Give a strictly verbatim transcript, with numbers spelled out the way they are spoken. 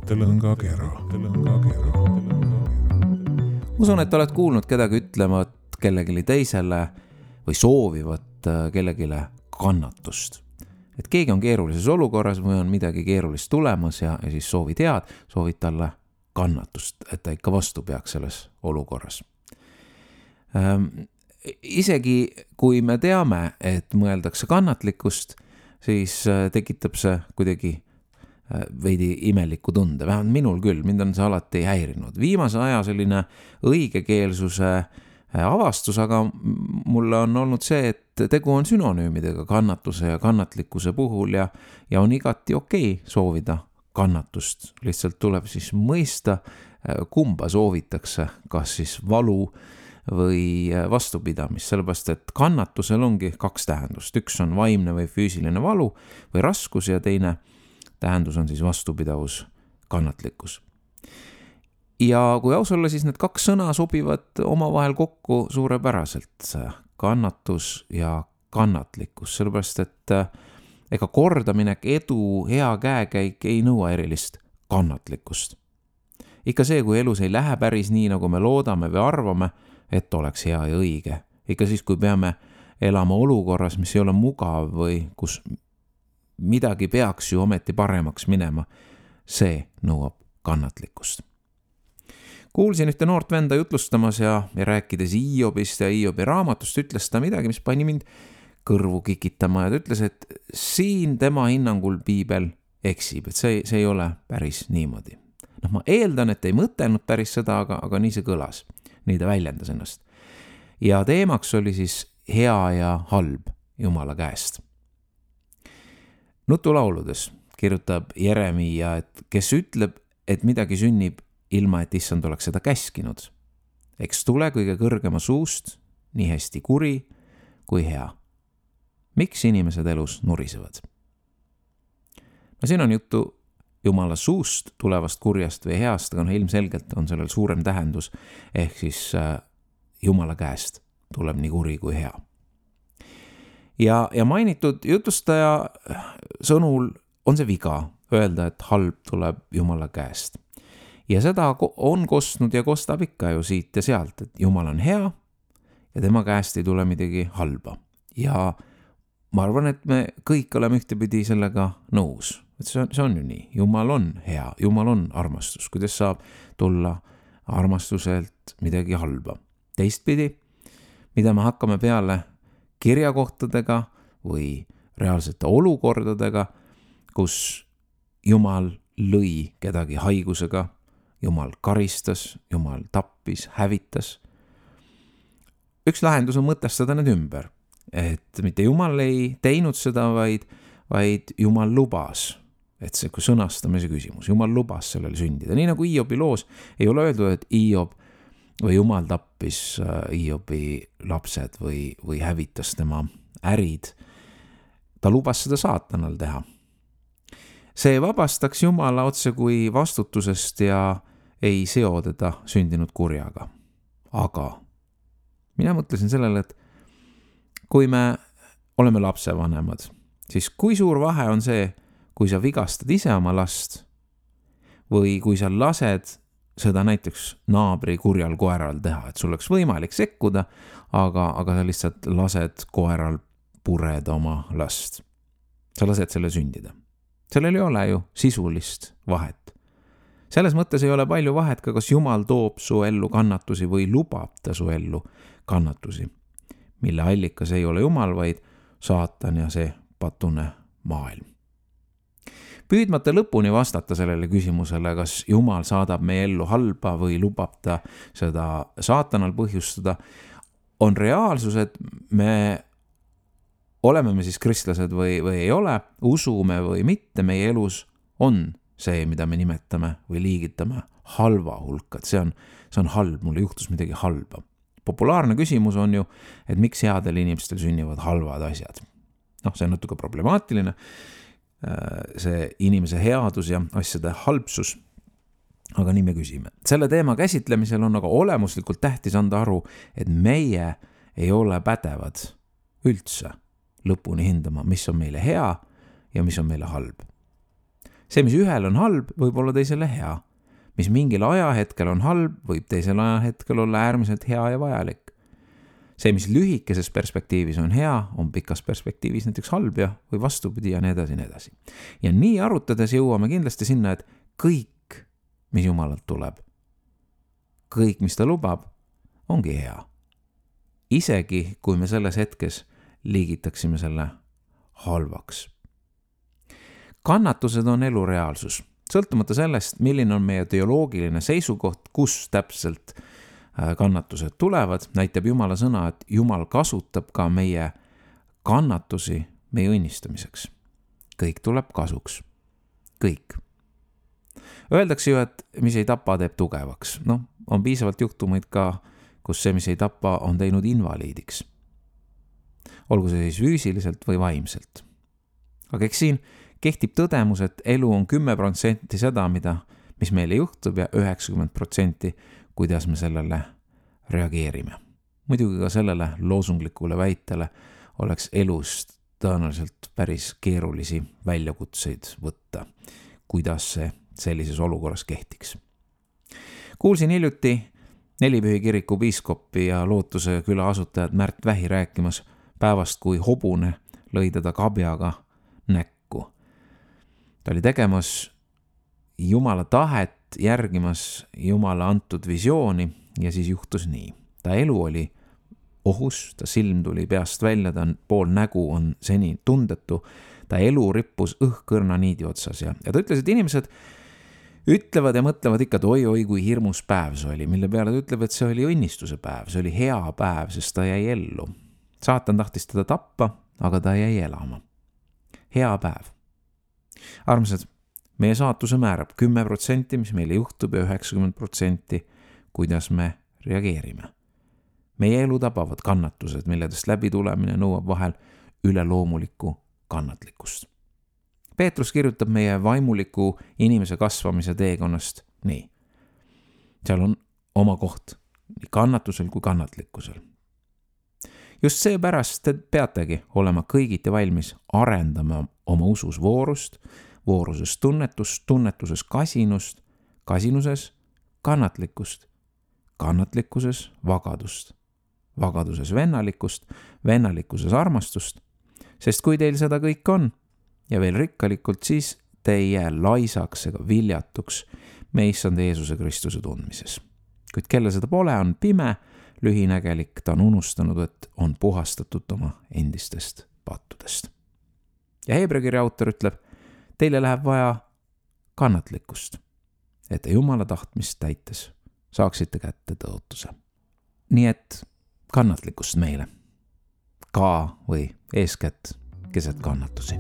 Tõlõngakera. Tõlõngakera. Usun, et oled kuulnud kedagi ütlevat kellegile teisele või soovivat kellegile kannatust. Et keegi on keerulises olukorras või on midagi keerulist tulemas ja, ja siis soovid head, soovid talle kannatust, et ta ikka vastu peaks selles olukorras. Ähm, isegi kui me teame, et mõeldakse kannatlikkust, siis tekitab see kuidagi veidi imeliku tunde, vähemalt minul küll, mind on see alati häirinud. Viimase aja selline õigekeelsuse avastus, aga mulle on olnud see, et tegu on sünonüümidega kannatuse ja kannatlikkuse puhul ja, ja on igati okei soovida kannatust. Lihtsalt tuleb siis mõista, kumba soovitakse, kas siis valu või vastupidamist, sellepärast et kannatusel ongi kaks tähendust. Üks on vaimne või füüsiline valu või raskus ja teine tähendus on siis vastupidavus, kannatlikkus. Ja kui aus olla, siis need kaks sõna sobivad omavahel kokku suurepäraselt, kannatus ja kannatlikkus, sellepärast et ega kordaminek, edu, hea käekäik ei nõua erilist kannatlikkust. Ikka see, kui elus ei lähe päris nii, nagu me loodame või arvame, et oleks hea ja õige. Ikka siis, kui peame elama olukorras, mis ei ole mugav või kus midagi peaks ju ometi paremaks minema, see nõuab kannatlikkust. Kuulsin ühte noort venda jutlustamas ja, ja rääkides Iiobist ja Iiobi raamatust, ütles ta midagi, mis pani mind kõrvu kikitama ja ta ütles, et siin tema hinnangul piibel eksib, et see, see ei ole päris niimoodi. No, ma eeldan, et ei mõtelnud päris seda, aga, aga nii see kõlas, nii ta väljendas ennast. Ja teemaks oli siis hea ja halb Jumala käest. Nutulauludes kirjutab Jeremia, et kes ütleb, et midagi sünnib ilma, et issand oleks seda käskinud. Eks tule kõige kõrgema suust, nii hästi kuri kui hea. Miks inimesed elus nurisevad? No siin on juttu Jumala suust tulevast kurjast või heast, aga no ilmselgelt on sellel suurem tähendus, ehk siis Jumala käest tuleb nii kuri kui hea. Ja, ja mainitud jutustaja sõnul on see viga öelda, et halb tuleb Jumala käest. Ja seda on kostnud ja kostab ikka ju siit ja sealt, et Jumal on hea ja tema käest ei tule midagi halba. Ja ma arvan, et me kõik oleme ühtepidi sellega nõus. Et see on, see on ju nii. Jumal on hea, Jumal on armastus. Kuidas saab tulla armastuselt midagi halba? Teistpidi, mida me hakkame peale kirjakohtadega või reaalsete olukordadega, kus Jumal lõi kedagi haigusega, Jumal karistas, Jumal tappis, hävitas. Üks lahendus on mõtestada need ümber, et mitte Jumal ei teinud seda, vaid, vaid Jumal lubas, et see kui sõnastamise küsimus, Jumal lubas sellele sündida. Nii nagu Iiobi loos ei ole öeldud, et Iiob või Jumal tappis Iiobi lapsed või, või hävitas tema ärid. Ta lubas seda saatanal teha. See vabastaks Jumala otse kui vastutusest ja ei seo teda sündinud kurjaga. Aga mina mõtlesin sellele, et kui me oleme lapsevanemad, siis kui suur vahe on see, kui sa vigastad ise oma last või kui sa lased seda näiteks naabri kurjal koeral teha, et sul oleks võimalik sekkuda, aga, aga sa lihtsalt lased koeral pureda oma last. Sa lased selle sündida. Sellel ei ole ju sisulist vahet. Selles mõttes ei ole palju vahet ka, kas Jumal toob su ellu kannatusi või lubab ta su ellu kannatusi, mille allikas ei ole Jumal, vaid saatan ja see patune maailm. Püüdmata lõpuni vastata sellele küsimusele, kas Jumal saadab meie ellu halba või lubab ta seda saatanal põhjustada, on reaalsus, et me oleme me siis kristlased või, või ei ole, usume või mitte, meie elus on see, mida me nimetame või liigitame halva hulka, et see on, see on halb, mulle juhtus midagi halba. Populaarne küsimus on ju, et miks headel inimestel sünnivad halvad asjad. noh, see on natuke problemaatiline, see inimese headus ja asjade halbsus, aga nii me küsime. Selle teema käsitlemisel on aga olemuslikult tähtis anda aru, et meie ei ole pädevad üldse lõpuni hindama, mis on meile hea ja mis on meile halb. see, mis ühel on halb, võib olla teisele hea. Mis mingil ajahetkel on halb, võib teisel ajahetkel olla äärmiselt hea ja vajalik. See, mis lühikeses perspektiivis on hea, on pikas perspektiivis näiteks halb ja või vastupidi ja nii edasi, nii edasi. Ja nii arutades jõuame kindlasti sinna, et kõik, mis Jumalalt tuleb, kõik, mis ta lubab, ongi hea. Isegi, kui me selles hetkes liigitaksime selle halvaks. Kannatused on elu reaalsus. Sõltumata sellest, milline on meie teoloogiline seisukoht, kus täpselt kannatused tulevad, näitab Jumala sõna, et Jumal kasutab ka meie kannatusi meie õnnistamiseks. Kõik tuleb kasuks. Kõik. Öeldakse ju, et mis ei tapa, teeb tugevaks. No, on piisavalt juhtumeid ka, kus see, mis ei tapa, on teinud invaliidiks. Olgu see siis füüsiliselt või vaimselt. Aga eks siin kehtib tõdemus, et elu on kümme protsenti seda, mida, mis meile juhtub ja üheksakümmend protsenti, kuidas me sellele reageerime. Muidugi ka sellele loosunglikule väitele oleks elust tõenäoliselt päris keerulisi väljakutseid võtta, kuidas see sellises olukorras kehtiks. Kuulsin hiljuti Nelipühi kiriku piiskopi ja Lootuse küla asutajad Märt Vähi rääkimas päevast, kui hobune lõi teda kabjaga näkku. Ta oli tegemas Jumala tahet, järgimas Jumala antud visiooni ja siis juhtus nii. Ta elu oli ohus, ta silm tuli peast välja, ta pool nägu on seni tundetu, ta elu rippus õhkõrna niidi otsas ja, ja ta ütles, et inimesed ütlevad ja mõtlevad ikka, et oi-oi, kui hirmus päev see oli, mille peale ta ütleb, et see oli õnnistuse päev, see oli hea päev, sest ta jäi ellu. Saatan tahtis teda tappa, aga ta jäi elama. Hea päev. Armsad, meie saatuse määrab kümme protsenti, mis meile juhtub ja üheksakümmend protsenti, kuidas me reageerime. Meie elu tabavad kannatused, milledest läbi tulemine nõuab vahel üleloomulikku kannatlikkust. Peetrus kirjutab meie vaimuliku inimese kasvamise teekonnast nii. Seal on oma koht nii kannatusel kui kannatlikkusel. Just seepärast te peategi olema kõigiti valmis arendama oma usus voorust, vooruses tunnetust, tunnetuses kasinust, kasinuses kannatlikkust, kannatlikkuses vagadust, vagaduses vennalikkust, vennalikkuses armastust, sest kui teil seda kõik on, ja veel rikkalikult, siis te ei jää laisaks ega viljatuks meie issand Jeesuse Kristuse tundmises. Kuid kelle seda pole, on pime, lühinägelik, ta on unustanud, et on puhastatud oma endistest pattudest. Ja Heebrea kirja autor ütleb, teile läheb vaja kannatlikkust, et te Jumala tahtmist täites saaksite kätte tõotuse. Nii et kannatlikkust meile, ka või eeskätt keset kannatusi.